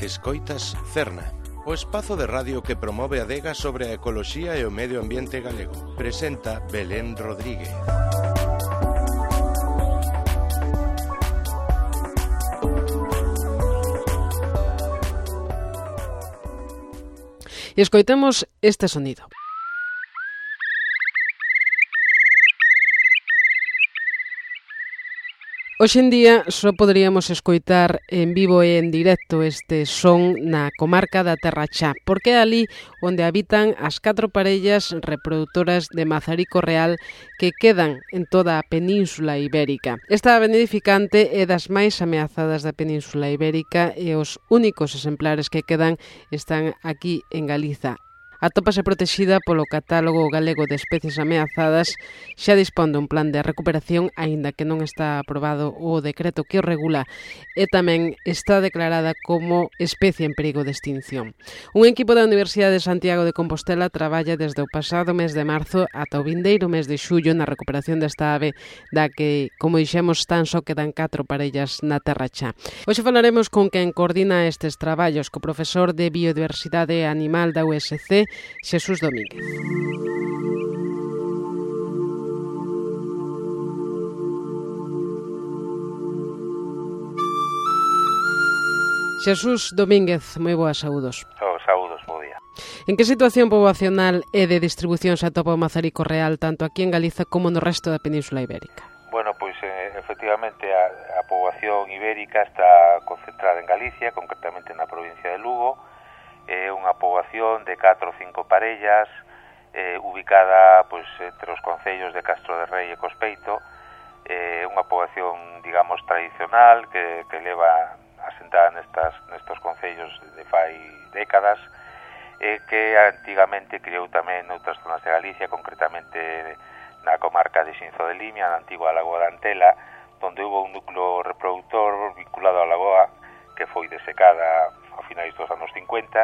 Escoitas Cerna, o espazo de radio que promove a adega sobre a ecoloxía e o medio ambiente galego. Presenta Belén Rodríguez. E escoitemos este sonido. Hoxe en día só poderíamos escoitar en vivo e en directo este son na comarca da Terra Chá, porque é ali onde habitan as 4 parellas reproductoras de mazarico real que quedan en toda a Península Ibérica. Esta ave nidificante é das máis ameazadas da Península Ibérica e os únicos exemplares que quedan están aquí en Galiza. Atópase protexida polo Catálogo Galego de Especies Ameazadas, xa dispón dun plan de recuperación, aínda que non está aprobado o decreto que o regula, e tamén está declarada como especie en perigo de extinción. Un equipo da Universidade de Santiago de Compostela traballa desde o pasado mes de marzo ata o vindeiro mes de xullo na recuperación desta ave, da que, como dixemos, tan só quedan 4 parellas na Terra Chá. Hoxe falaremos con quen coordina estes traballos, co profesor de Biodiversidade Animal da USC, Xesús Domínguez. Xesús Domínguez, moi boas saúdos. Saúdos, bo día. En que situación poboacional e de distribución se atopa o mazarico real tanto aquí en Galiza como no resto da Península Ibérica? Bueno, pois efectivamente a poboación ibérica está concentrada en Galicia, concretamente na provincia de Lugo. É unha poboación de 4 ou 5 parellas ubicada pois entre os concellos de Castro de Rei e Cospeito. É unha poboación, digamos, tradicional que leva asentada nestos concellos de fai décadas e que antigamente criou tamén noutras zonas de Galicia, concretamente na comarca de Xinzo de Limia, na antigua Lagoa de Antela, onde houve un núcleo reproductor vinculado á lagoa que foi desecada a finais dos anos 50,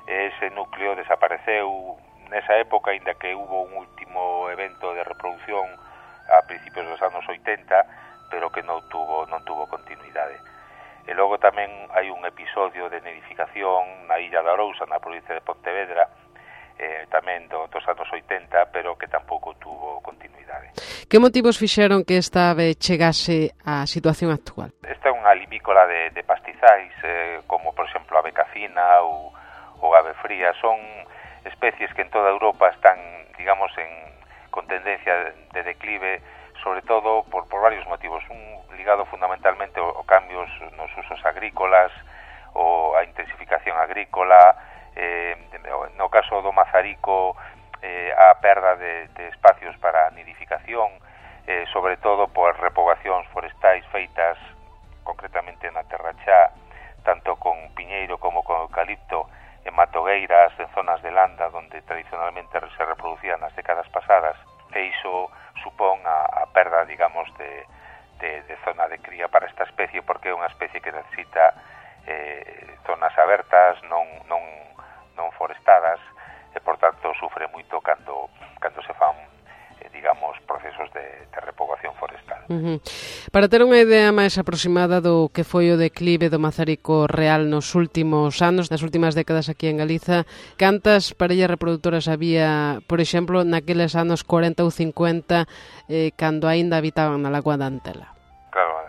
ese núcleo desapareceu nesa época, aínda que hubo un último evento de reproducción a principios dos anos 80, pero que non tuvo continuidade. E logo tamén hai un episodio de nidificación na illa da Arousa, na provincia de Pontevedra, tamén dos anos 80, pero que tampouco tuvo continuidade. Que motivos fixeron que esta ave chegase á situación actual? Esta é unha limícola de pastizais, como por exemplo a becafina ou ave fría. Son especies que en toda Europa están, digamos, con tendencia de declive, sobre todo por varios motivos. Un ligado fundamentalmente a cambios nos usos agrícolas, ou a intensificación agrícola, no caso do mazarico, a perda de espacios para nidificación, sobre todo por repogacións forestais feitas concretamente na Terra Chá, tanto con piñeiro como con eucalipto, en matogueiras, en zonas de landa onde tradicionalmente se reproducían nas décadas pasadas, e iso supón a perda, digamos, de zona de cría para esta especie, porque é unha especie que necesita zonas abertas, non forestadas, e por tanto sufre moito cando se fan digamos, procesos de repogación forestal. Para ter unha idea máis aproximada do que foi o declive do mazarico real nos últimos anos, nas últimas décadas aquí en Galiza, cantas parellas reproductoras había, por exemplo, naqueles anos 40 ou 50, cando aínda habitaban na Lagoa da Antela? Claro,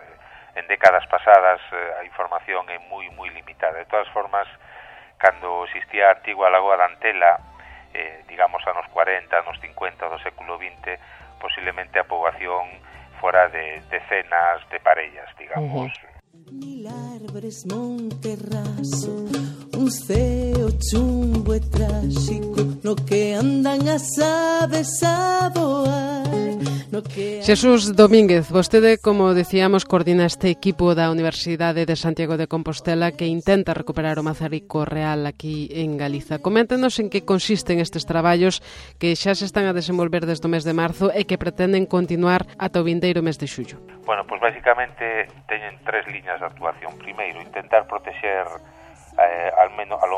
en décadas pasadas a información é moi limitada. De todas formas, cando existía a antigua Lagoa da Antela, digamos anos 40, anos 50 do século XX, posiblemente a poboación fora de decenas de parellas, digamos. Mil árboles, monte raso, un ceo chumbo e tráxico, no que andan as aves a voar. Xesús Domínguez, vostede, como decíamos, coordina este equipo da Universidade de Santiago de Compostela que intenta recuperar o mazarico real aquí en Galiza. Coméntenos en que consisten estes traballos que xa se están a desenvolver desde o mes de marzo e que pretenden continuar ata o vindeiro mes de xullo. Bueno, pois basicamente teñen 3 liñas de actuación. Primeiro, intentar protexer ao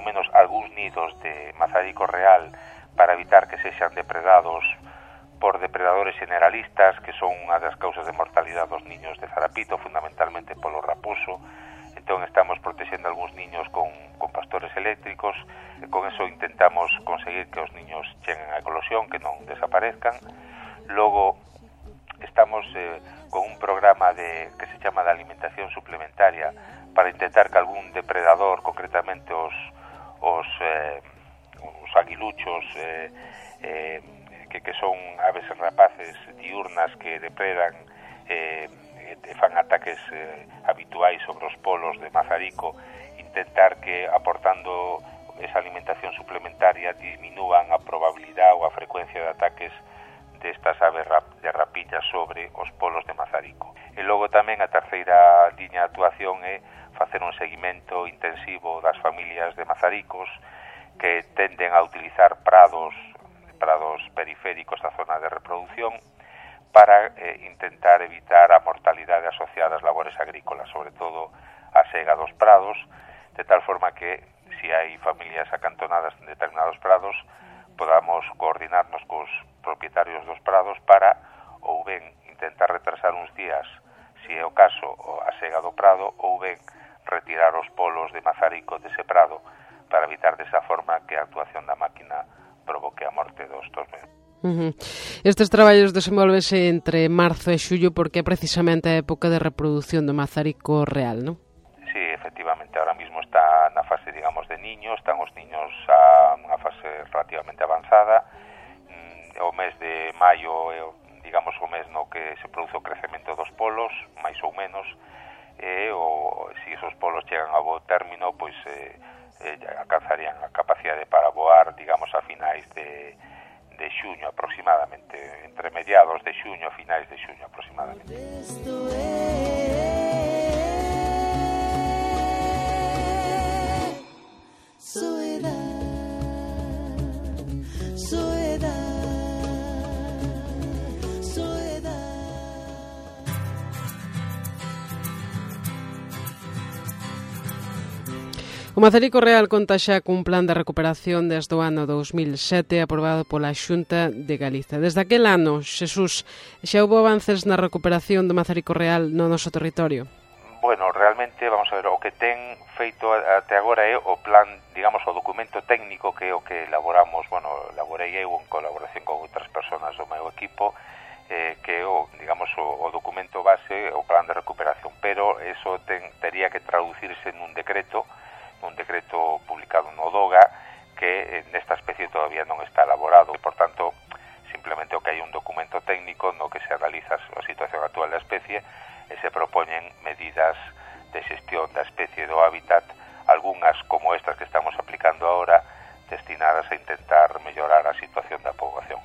menos algúns nidos de mazarico real para evitar que sexan depredados por depredadores generalistas, que son unha das causas de mortalidade dos niños de zarapito, fundamentalmente polo raposo. entón estamos protexendo algúns niños con pastores eléctricos, e con eso intentamos conseguir que os niños cheguen á eclosión, que non desaparezcan. Logo estamos con un programa que se chama de alimentación suplementaria para intentar que algún depredador, concretamente os aguiluchos, que son aves rapaces diurnas que depredan e fan ataques habituais sobre os polos de Mazarico, intentar que aportando esa alimentación suplementaria disminúan a probabilidade ou a frecuencia de ataques destas aves de rapiña sobre os polos de Mazarico. E logo tamén a terceira liña de actuación é facer un seguimento intensivo das familias de mazaricos que tenden a utilizar prados periféricos da zona de reproducción para intentar evitar a mortalidade asociada ás labores agrícolas, sobre todo a sega dos prados, de tal forma que se hai familias acantonadas en determinados prados podamos coordinarnos cos propietarios dos prados para ou ben intentar retrasar uns días, se é o caso, a sega do prado, ou ben retirar os polos de Mazarico dese prado para evitar desa forma que a actuación da máquina provoque a morte dos mesmos. Estes traballos desenvolvense entre marzo e xullo porque é precisamente a época de reproducción do Mazarico real, non? Sí, efectivamente, ahora mismo está na fase, digamos, de niños, están os niños a unha fase relativamente avanzada. O mes de maio é, digamos, o mes no que se produce o crecemento dos polos, máis ou menos, e se esos polos chegan a bo término, pois alcanzarían a capacidade para voar, digamos, a finais de xuño aproximadamente, entre mediados de xuño e finais de xuño aproximadamente. O Mazarico Real conta xa cun plan de recuperación desde o ano 2007 aprobado pola Xunta de Galiza. Desde aquel ano, Xesús, xa houve avances na recuperación do Mazarico Real no noso territorio? Bueno, realmente, vamos a ver, o que ten feito até agora é o plan, digamos, o documento técnico que é o que elaboramos, bueno, elaborei eu en colaboración con outras persoas do meu equipo, que é o, digamos, o documento base, o plan de recuperación, pero eso tería que traducirse nun decreto publicado no DOGA que nesta especie todavía non está elaborado e, por tanto, simplemente o que hai un documento técnico no que se analiza a situación actual da especie e se propoñen medidas de xestión da especie do hábitat, algunhas como estas que estamos aplicando ahora, destinadas a intentar mellorar a situación da poboación.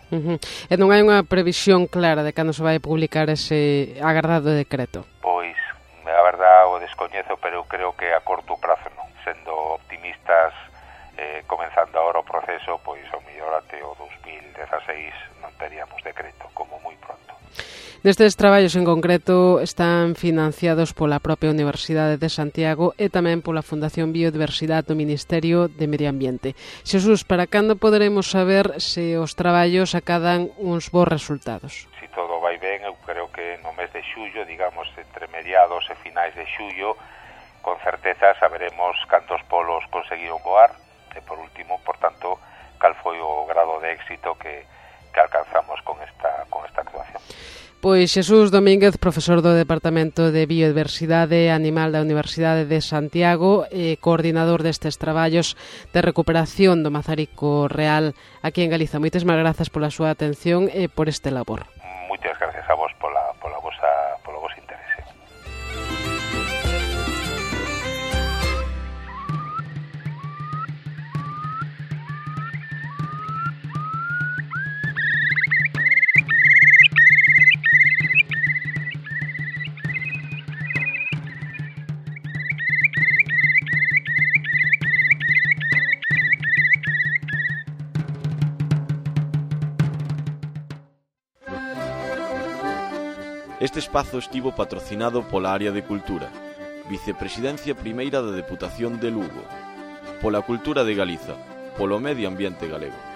E non hai unha previsión clara de cando se vai publicar ese agardado decreto? Pois, a verdad, o descoñezo, pero eu creo que a corto prazo non. Sendo optimistas, comenzando agora o proceso, pois ao mellor até o 2016 non teríamos decreto, como moi pronto. Nestes traballos en concreto están financiados pola propia Universidade de Santiago e tamén pola Fundación Biodiversidade do Ministerio de Medio Ambiente. Xesús, para cando poderemos saber se os traballos acadan uns bons resultados? Se todo vai ben, eu creo que no mes de xullo, digamos, entre mediados e finais de xullo, con certeza saberemos cantos polos conseguiron voar e, por último, por tanto, cal foi o grado de éxito que alcanzamos con esta actuación. Pois Xesús Domínguez, profesor do Departamento de Biodiversidade Animal da Universidade de Santiago e coordinador destes traballos de recuperación do Mazarico Real aquí en Galiza. Moitísimas grazas pola súa atención e por este labor. Moitas gracias a vos polo vosso interese. Este espazo estivo patrocinado pola Área de Cultura, Vicepresidencia Primeira da Deputación de Lugo, pola Cultura de Galiza, polo Medio Ambiente Galego.